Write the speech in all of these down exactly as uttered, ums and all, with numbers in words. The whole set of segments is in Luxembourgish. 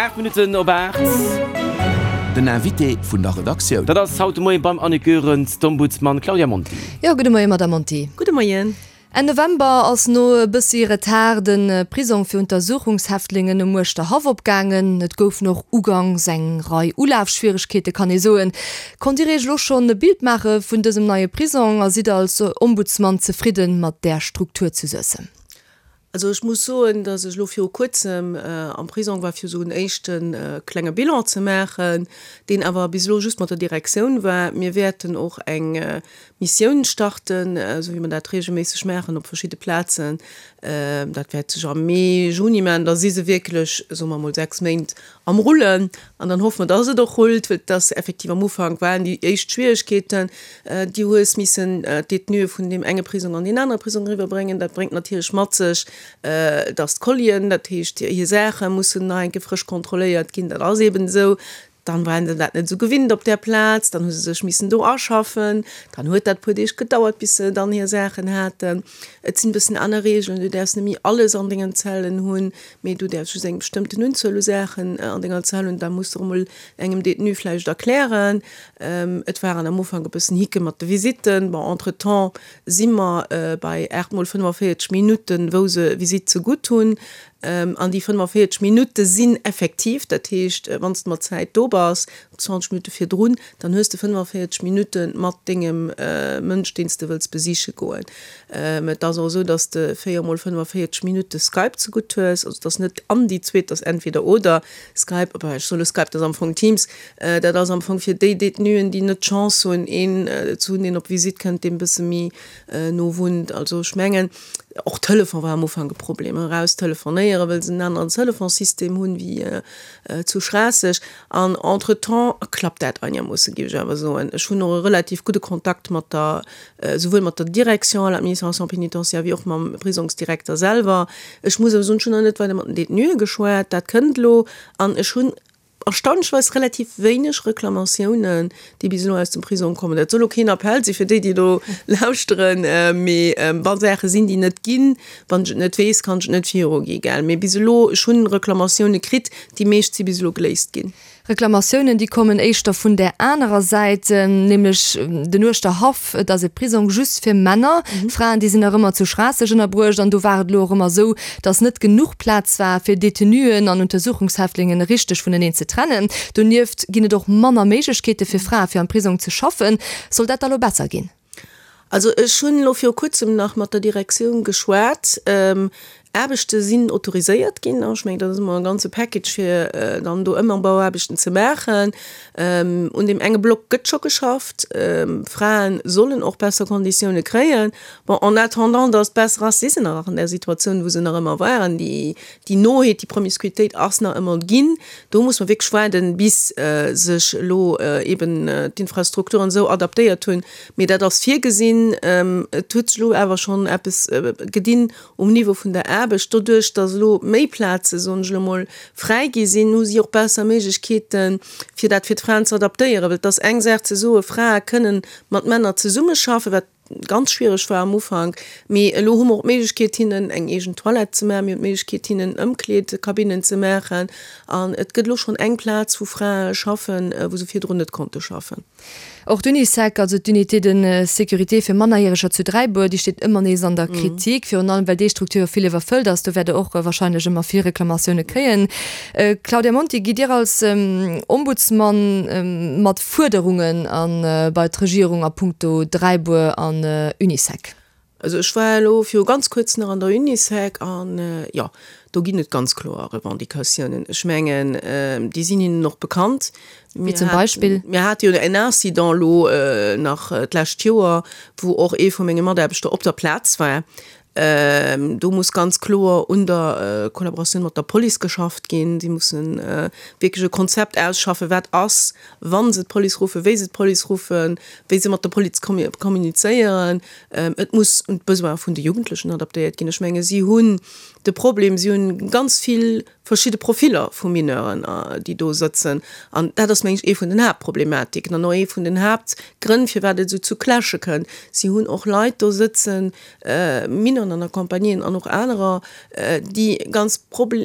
Aacht Minutten op aacht. Den Invité vun der Redaktioun. Dat ass haut de Moien beim Annick Goerens d'Ombudsman Claudia Monti. Jo, gudde Moien, Madame Monti. Gudde Moien. Enn November ass no e bëssi Retard de Prisong fir Untersuchungshäftlingen um Uerschterhaff opgaangen. Et goufen och ugangs eng Rei Ulafschwieregkeete, kann ee soen. Konnt Dir Iech elo schonn e Bild maache vun dësem neie Prisong a sidd Der als Ombudsman zefridde mat där Struktur zu Suessem? Also ech muss soen, dass ech elo viru Kuerzem am Prisong war, fir esou en éischte klenge Bilan ze maachen, deen awer bis elo just mat der Direktioun war. Mir wäerten och eng Missioun starten, esou wéi mer dat reegelméisseg maachen op verschidde Plazen. Dat wäert sech am Mee, Juni maachen. Da si se wierklech, soe mer emol, sechs Méint am Rullen. An dann hoffe mer, dass et och rullt, well et ass effektiv am Ufank waren déi éischt Schwieregkeeten, Du hues missen d'Detenuë vun deem enge Prisong an deen anere Prisong eriwwerbréngen. Dat bréngt natierlech mat sech, dass d'Collien, dat heescht hir Saache mussen nach eng Kéier frësch kontrolléiert ginn. Dat ass eeben esou. Dann waren se dat net esou gewinnt op där Plaz, dann hu se sech missen do aschaffen. Dann huet dat e puer Deeg gedauert, bis se dann hir Saachen haten. Et sinn e bëssen aner Regeln, du däerfs net méi alles an dengen Zellen hunn, mee du däerfs just eng bestëmmten Unzuel u Saachen an denger Zell hunn. Da muss de och emol engem Détenu vläicht erklären. Et waren am Ufank e bëssen Hicke mat de Visitten. Bon, entretemps si mer bei aacht mol fënnefenvéierzeg Minutten, wou se Visitt zegutt hunn. An déi fënnefenvéierzeg Minutte sinn effektiv, dat heescht, wann s de mat Zäit do bass, zwanzeg Minutte virdrun, dann hues de fënnefenvéierzeg Minutte mat dengem Mënsch, deen s de wëlls besiche goen. Et ass och esou, dass s de véier mol fënnefenvéierzeg Minutte Skype zegutt hues. Also et ass net an déi zweet, et ass entweder oder Skype, enfin ech soe lo Skype, dat ass am Fong Teams. Dat ass am Fong fir déi Détenuen, déi net d'Chance hunn, een ze hunn, deen op Visitt kënnt, deen e bësse méi no wunnt. Also ech mengen, Och Telefon war am Ufank e Problem, eraus telefonéieren, well se en aneren Telefonssystem hunn wéi zu Schraasseg. An entretemps klappt dat einermoosse, géif ech awer soen. Ech hunn och e relativ gudde Kontakt mat der, souwuel mat der Direction à l'administration pénitentiaire wéi och mam Prisongsdirekter selwer. Ech muss awer soen, ech hunn nach net weider mat den Détenuë geschwat, dat kënnt elo. An ech hunn erstaunlecherweis relativ wéineg Reklamatiounen, déi bis elo aus dem Prisong kommen. Dat soll elo keen Appell si fir déi, déi elo lauschteren, mee wa Saache sinn, déi net ginn, wann ech et net weess, kann ech et net virugi, gell. Mee bis elo, ech hunn Reklamatioune kritt, déi meescht si bis elo geléist ginn. Reklamatiounen, déi kommen éischter vun där anerer Säit, nämlech den Uerschterhaff. Et ass e Prisong just fir Männer. Fraen, déi sinn nach ëmmer zu Schraasseg ënnerbruecht. An do war et elo och ëmmer esou, datt net genuch Plaz war, fir Detenuen an Untersuchungshäftlingen richteg vuneneen ze trennen. Donieft ginn et och manner Méiglechkeete fir Frae fir am Prisong ze schaffen. Soll dat da lo besser ginn? Also ech hunn elo viru kuerzem nach mat der Direktioun geschwat. Aarbechte sinn autoriséiert ginn. Ech mengen, dat ass ëmmer e ganze Package, fir dann do Ëmambauaarbechten ze maachen. Un deem enge Block gëtt scho geschafft. Frae sollen och besser Konditioune kréien. Bon, en attendant, datt et besser ass, si se nach an där Situatioun, wou se nach ëmmer waren. Déi Noheet, déi Promiscuitéit ass nach ëmmer ginn. Do muss mer wierklech waarden, bis sech elo eeben d'Infrastrukturen esou adaptéiert hunn. Mee dat ass virgesinn. Et huet sech elo awer schonn eppes gedinn um Niveau vun der Aarbecht. Doduerch, datt elo méi Plaze, soen ech elo mol, fräi gi sinn, hu si och besser Méiglechkeeten, fir dat fir d'Fraen ze adaptéieren. Well et ass eng Saach ze soen, Frae kënnen mat Männer zesummeschaffen, wat ganz schwiereg war am Ufank, mee elo hu mer och d'Méiglechkeet, hinnen eng eegen Toilette ze maachen, mir hunn d'Méiglechkeet, hinnen Ëmkleedkabinnen ze maachen. An et gëtt elo schonn eng Plaz, wou Frae schaffen, wou se virdrun net konnte schaffen. Och d'Unisec, also d'Unité de sécurité fir Mannerjäreger zu Dräibuer, déi steet ëmmer nees an der Kritik, virun allem well déi Struktur jo vill iwwerfëllt ass. Do wäert Der och warscheinlech ëmmer vill Reklamatioune kréien. Claudia Monti, gitt Dir als Ombudsman mat Fuerderungen a bei d'Regierung a puncto Dräibuer an Unisec? Also ech war elo viru ganz kuerz nach an der Unisec an, jo, do ginn et ganz kloer Revendicatiounen. Ech mengen, déi sinn hinnen och bekannt. Wéi zum Beispill? Mir hate jo en Incident elo nach d'lescht Joer, wou och ee vu menge Mataarbechter op der Plaz war. Do muss ganz kloer un der Kollaboratioun mat der Police geschafft ginn. Si musse wierklech e Konzept ausschaffen, wat ass, wa se d'Police ruffen, wéi se d'Police ruffen, wéi se mat der Police kommunizéieren. Et muss un d'Besoine vun de Jugendlechen adaptéiert ginn. Ech menge si hunn de Problem, si hunn ganz vill verschidde Profiller vu Mineuren, déi do sëtzen. An dat ass, meng ech, ee vun den Haaptproblematiken an och ee vun den Haaptgrënn, firwat et esou zu Clashe kënnt. Si hunn och Leit do sëtzen, Mineurs non accompagnés an och anerer, déi ganz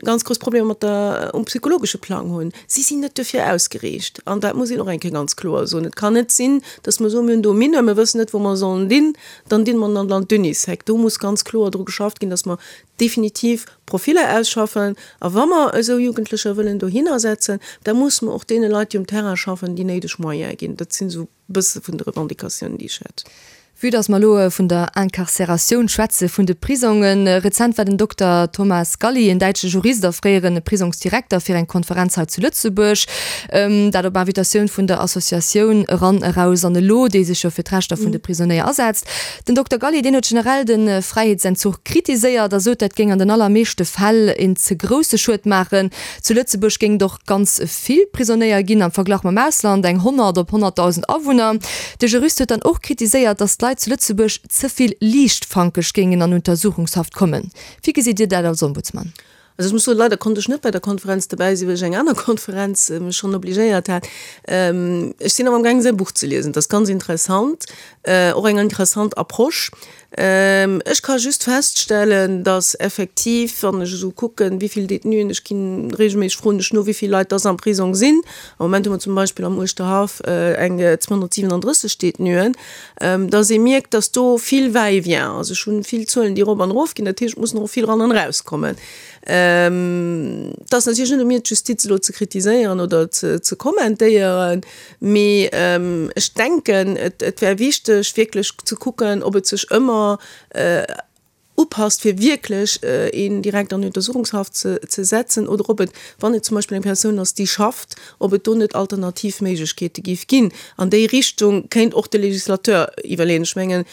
ganz grouss Problemer mat der, um psychologesche Plang hunn. Si sinn net dofir ausgeriicht. An dat muss een och eng Kéier ganz kloer soen. Et kann net sinn, dass mer soen, mir hunn do e Mineur, mir wëssen net, wou mer e sollen dinn, dann dinn mer en an d'Unisec. Do muss ganz kloer dru geschafft ginn, dass mer definitiv Profiller ausschaffen. A wa mer esou Jugendlecher wëllen dohinner setzen, da musse mer och deene Leit, déi um Terrain schaffen, déi néideg Moyene ginn. Dat sinn esou e bësse vun de Revendicatiounen, déi ech hätt. Vue dass mer elo vun der Incarcératioun schwätze vun de Prisongen, rezent war den Dokter Thomas Galli, en däitsche Jurist a fréiere Prisongsdirekter, fir eng Konferenz hei zu Lëtzebuerg, dat op Invitatioun vun der Associatioun Eran, Eraus an Elo, déi sech jo fir d'Rechter vun de Prisonéier asetzt. Den Dokter Galli, deen huet generell de Fräiheetsentzuch kritiséiert a sot, dat géing an den allermeeschte Fäll een ze grousse Schued maachen. Zu Lëtzebuerg géing et och ganz vill Prisonéier ginn am Verglach mam Ausland, eng honnert op honnertdausend Awunner. De Jurist huet dann och kritiséiert, datt d'Leit zu Lëtzebuerg ze vill liichtfankeg géingen an Untersuchungshaft kommen. Wéi gesitt Dir dat als Ombudsman? Also ech muss soen, leider konnt ech net bei der Konferenz dobäi sinn, well ech eng aner Konferenz mech schonn obligéiert hat. Ech sinn awer amgaangen säi Buch ze liesen. Dat ass ganz interessant, och eng interessant Approche. Ech ka just feststellen, dass effektiv, wann ech esou kucken, wéi vill Détenuen, ech ginn regelméisseg, froen ech no, wéi vill Leit dass am Prisong sinn. Am Moment hu mer zum Beispill am Uerschterhaff eng zweehonnertsiwenandrësseg Détenuen, dass ee mierkt, dass do vill Va-et-vient ass. Ech hu vill Zuelen, déi erop an erof ginn, dat heescht, et mussen och vill eran an erauskommen. Et ass natierlech net u mir, d'Justiz elo ze kritiséieren oder ze kommentéieren, mee ech denken, et wär wichteg, wierklech ze kucken, ob et sech ëmmer upasst, fir wierklech een direkt an Untersuchungshaft ze setzen, oder ob et, wann et zum Beispill eng Persoun ass, déi schafft, ob et do net alternativ Méiglechkeete géif ginn. An déi Richtung kéint och de Législateur iwwerleeën. Ech mengen,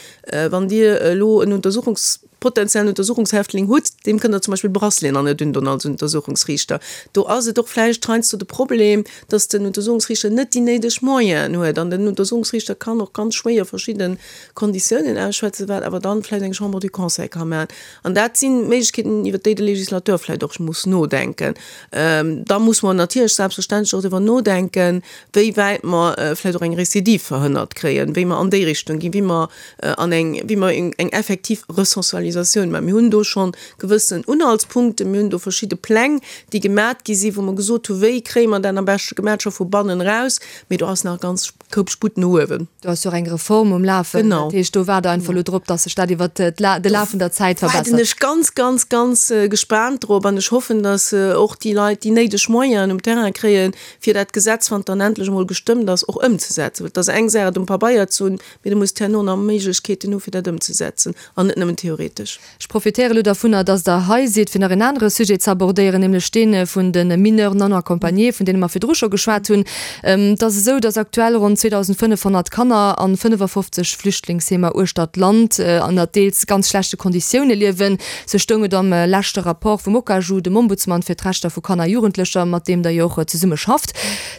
wann Dir elo en Untersuchungs-, potenziellen Untersuchungshäftling hutt, deem kënnt Der zum Beispill Braceleten an net undon als Untersuchungsriichter. Do ass et och vläicht heiansdo de Problem, dass den Untersuchungsriichter net déi néideg Moyenen huet. An den Untersuchungsriichter kann och ganz schwéier verschidde Konditiounen ausschwätzen, wat awer dann vläicht eng Chambre du Conseil ka maachen. An dat si Méiglechkeeten, iwwert déi de Législateur vläicht och muss nodenken. Da muss mer natierlech selbstverständlech och driwwer nodenken, wéi wäit mer vläicht och eng Récidive verhënnert kréien, wéi mer an déi Richtung ginn, wéi mer an eng, wéi mer eng effektiv Resocialisatioun maachen. Mir hunn do scho gewëssen Unhaltspunkten, mir hunn do verschidde Pläng, déi gemat gi sinn, wou mer gesot hunn, wéi kréie mer dat am beschte gemat, scho vu bannen eraus, mee do ass nach e ganz Koup Sputt no uewen. Do ass jo och eng Reform um Lafen. Genau. Dat heescht, do waart Der einfach elo drop, dass sech dat iwwert de Laf vun der Zäit Do waarden verbessert. ech ganz, ganz, ganz gespaant drop an ech hoffen, dass och déi Leit déi néideg Moyenen um Terrain kréien, fir dat Gesetz, wann et dann endlech emol gestëmmt ass, och ëmzesetzen. Well et ass eng Saach, et um Pabeier ze hunn, mee du muss herno nach Méiglechkeeten hu fir dat ëmzesetzen an net nëmmen theoretesch. Ech profitéiere elo dervunner, dass Der hei sidd, fir nach en anere Sujet ze abordéieren, nämlech dee vun de Mineurs non accompagnés, vun deene mer virdru scho geschwat hunn. Et ass esou, dass aktuell ronn zweedausendfënnefhonnert Kanner an fënnefafofzeg Flüchtlingsheemer uechter d'Land ënner deels ganz schlechte Konditioune liewen. Sou stoung et am leschte Rapport vum OKAJU, dem Ombudsman fir d'Rechter vu Kanner a Jugendlecher, mat deem Der jo och zesumme schafft.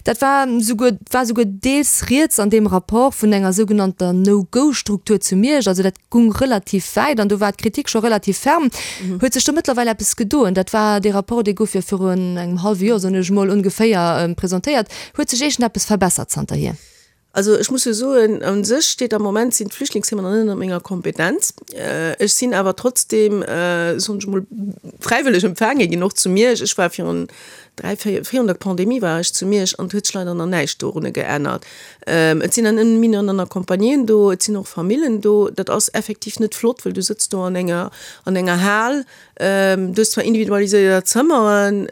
Dat war souguer, war souguer deels rieds an deem Rapport vun enger sougenannter No-Go-Struktur zu Miersch. Also dat gung relativ wäit an do war d'Kritik scho relativ ferm. Huet sech do mëttlerweil eppes gedoen? Dat war dee Rapport, dee gouf jo virun engem hallwe Joer, soen ech emol, ongeféier presentéiert. Huet sech iergendeppes verbessert zanterhier? Also ech muss jo soen, u sech steet am Moment, sinn d'Flüchtlingsheemer nach net ënner menger Kompetenz. Ech sinn awer trotzdem, soen ech emol, fräiwëlleg empfaange ginn, och zu Miersch. Ech war virun dräi, véier, virun der Pandemie war ech zu Miersch an et huet sech leider nach näischt dorunner geännert. Et sinn dann ëmmer Mineuren non accompagnés do, et sinn och Famillen do. Dat ass effektiv net flott, well du sëtz do an enger, an enger Hal. Du hues zwar individualiséiert Zëmmeren,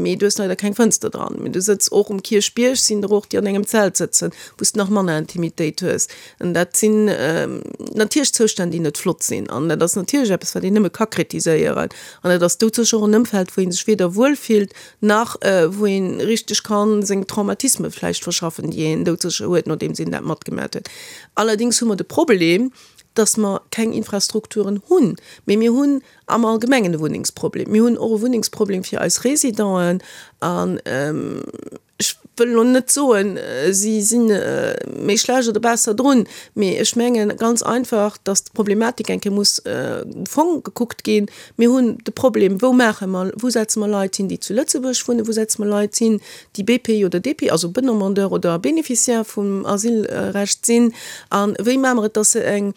mee du hues leider keng Fënster dran. Mee du sëtz och um Kierchbierg, sinn der och, déi an engem Zelt sëtzen, wou s de nach manner Intimitéit hues. An dat sinn natierlech Zoustänn, déi net flott sinn. An dat ass natierlech eppes, wat een nëmme ka kritiséieren. An et ass doudsécher och en Ëmfeld, wou ee sech weder wuel fillt, nach wou ee richteg ka seng Traumatisme vläicht verschaffen, déi een doudsécher huet, nodeems een dat matgemat huet. Allerdéngs hu mer de Problem, dass mer keng Infrastrukturen hunn, mee mir hunn am Allgemengen e Wunnengsproblem. Mir hunn och e Wunnengsproblem fir eis Résidenten an ech wëll elo net soen, si si méi schlecht oder besser drun, mee ech menge ganz einfach, datt d'Problematik eng Kéier muss um Fong gekuckt ginn. Mir hunn de Problem, wou maache mer, wou setze mer Leit hin, déi zu Lëtzebuerg wunnen, wou setze mer Leit hin, déi B P oder D P, also Demandeur oder Bénéficiaire vum Asylrecht sinn, a wéi maache mer et, datt se eng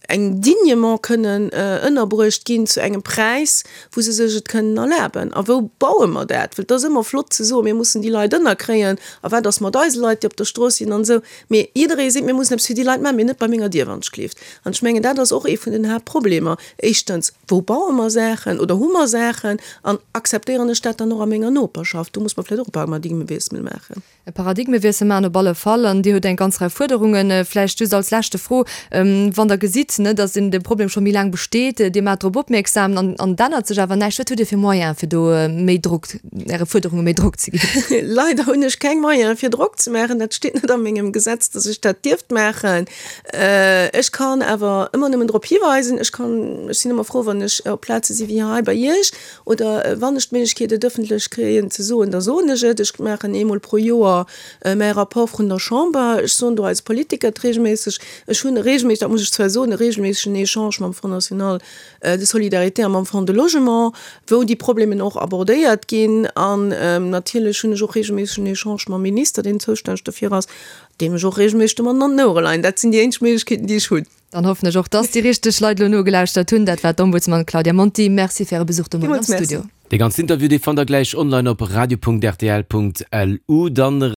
eng dignement kënnen ënnerbruecht ginn zu engem Präis, wou se sech et kënnen erlaben. A wou baue mer dat? Well et ass ëmmer flott ze soen, mir mussen déi Leit ënnerkréien, a wat ass mat eise Leit, déi op der Strooss sinn an esou. Mee jidderee seet, mir mussen eppes fir déi Leit maachen, mee net bei menger Dier, wann ech gleeft. An ech mengen, dat ass och ee vun den Haaptproblemer. Éischtens, wou baue mer Saachen oder hu mer Saachen an akzeptéieren ech dat dann och a menger Noperschaft? Do muss mer vläicht och e Paradigmewiessel maachen. E Paradigmewiessel maachen op alle Fall. An Dir hutt eng ganz Rei Fuerderungen. Vläicht just als leschte Fro, Wann Der gesitt, ne, datt de Problem scho méi laang besteet, Dir maacht drop opmierksam an an et ännert sech awer näischt, wat hutt Dir fir Moyene fir do méi Drock, Äre Fuerderunge méi Drock ze ginn? Leider hunn ech keng Moyene fir Drock ze maachen. Dat steet net a mengem Gesetz, datt ech dat dierft maachen. Ech kann awer ëmmer nëmmen drop hiweisen. Ech kann, ech sinn ëmmer frou, wann ech op Plaze si wéi hei bei Iech oder wann ech d'Méiglechkeet et ëffentlech kréien ze soen, da soen ech et. Ech maachen eemol pro Joer mäi Rapport vrun der Chamber. Ech soen do eise Politiker et reegelméisseg. Ech hunn e reegelméisseg, dat muss ech zwar soen, e reegelméissegen Echange mam Fonds national de solidarité a mam Fonds de logement, wou déi Problemen och abordéiert ginn. An natierlech hunn ech och reegelméissegen Echange mam Minister, deen zoustänneg dofir ass, deem ech och reegelméisseg domadden an den Ouere leien. Dat sinn déi eenzeg Méiglechkeeten, déi ech hunn. Dann hoffen ech och, dass déi richteg Leit elo nogelauschtert hunn. Dat war d'Ombudsman Claudia Monti. Merci fir Äre Besuch de Moien am Villmools merci. Studio. Dee ganzen Interview, dee fannt der gläich online op radio Punkt rtl Punkt lu. Dann.